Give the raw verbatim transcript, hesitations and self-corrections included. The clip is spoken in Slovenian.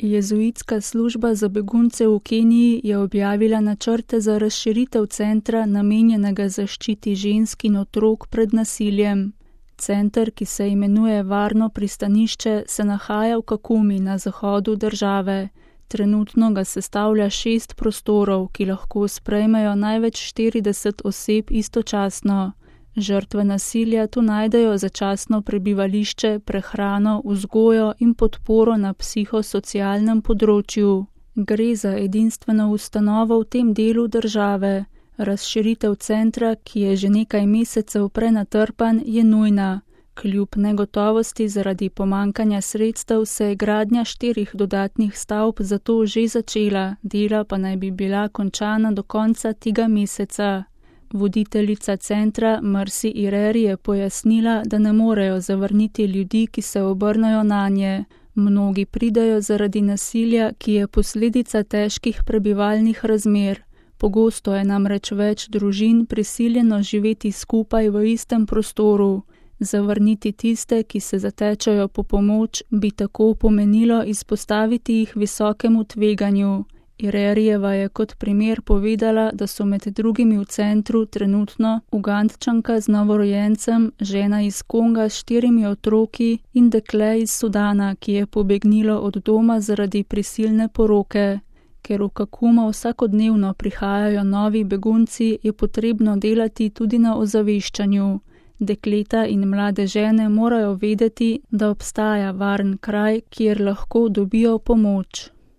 Jezuitska služba za begunce v Keniji je objavila načrte za razširitev centra, namenjenega zaščiti žensk in otrok pred nasiljem. Center, ki se imenuje Varno pristanišče, se nahaja v Kakumi na zahodu države. Trenutno ga sestavlja šest prostorov, ki lahko sprejmejo največ štirideset oseb istočasno. Žrtve nasilja tu najdejo začasno prebivališče, prehrano, vzgojo in podporo na psihosocialnem področju. Gre za edinstveno ustanovo v tem delu države. Razširitev centra, ki je že nekaj mesecev prenatrpan, je nujna. Kljub negotovosti zaradi pomankanja sredstev se je gradnja štirih dodatnih stavb zato že začela, dela pa naj bi bila končana do konca tega meseca. Voditeljica centra Mercy Ireri je pojasnila, da ne morejo zavrniti ljudi, ki se obrnejo nanje. Mnogi pridejo zaradi nasilja, ki je posledica težkih prebivalnih razmer. Pogosto je namreč več družin prisiljeno živeti skupaj v istem prostoru. Zavrniti tiste, ki se zatečajo po pomoč, bi tako pomenilo izpostaviti jih visokemu tveganju. Irerijeva je kot primer povedala, da so med drugimi v centru trenutno Ugandčanka z novorojencem, žena iz Konga s štirimi otroki in dekle iz Sudana, ki je pobegnilo od doma zaradi prisilne poroke. Ker v Kakumo vsakodnevno prihajajo novi begunci, je potrebno delati tudi na ozaveščanju. Dekleta in mlade žene morajo vedeti, da obstaja varen kraj, kjer lahko dobijo pomoč.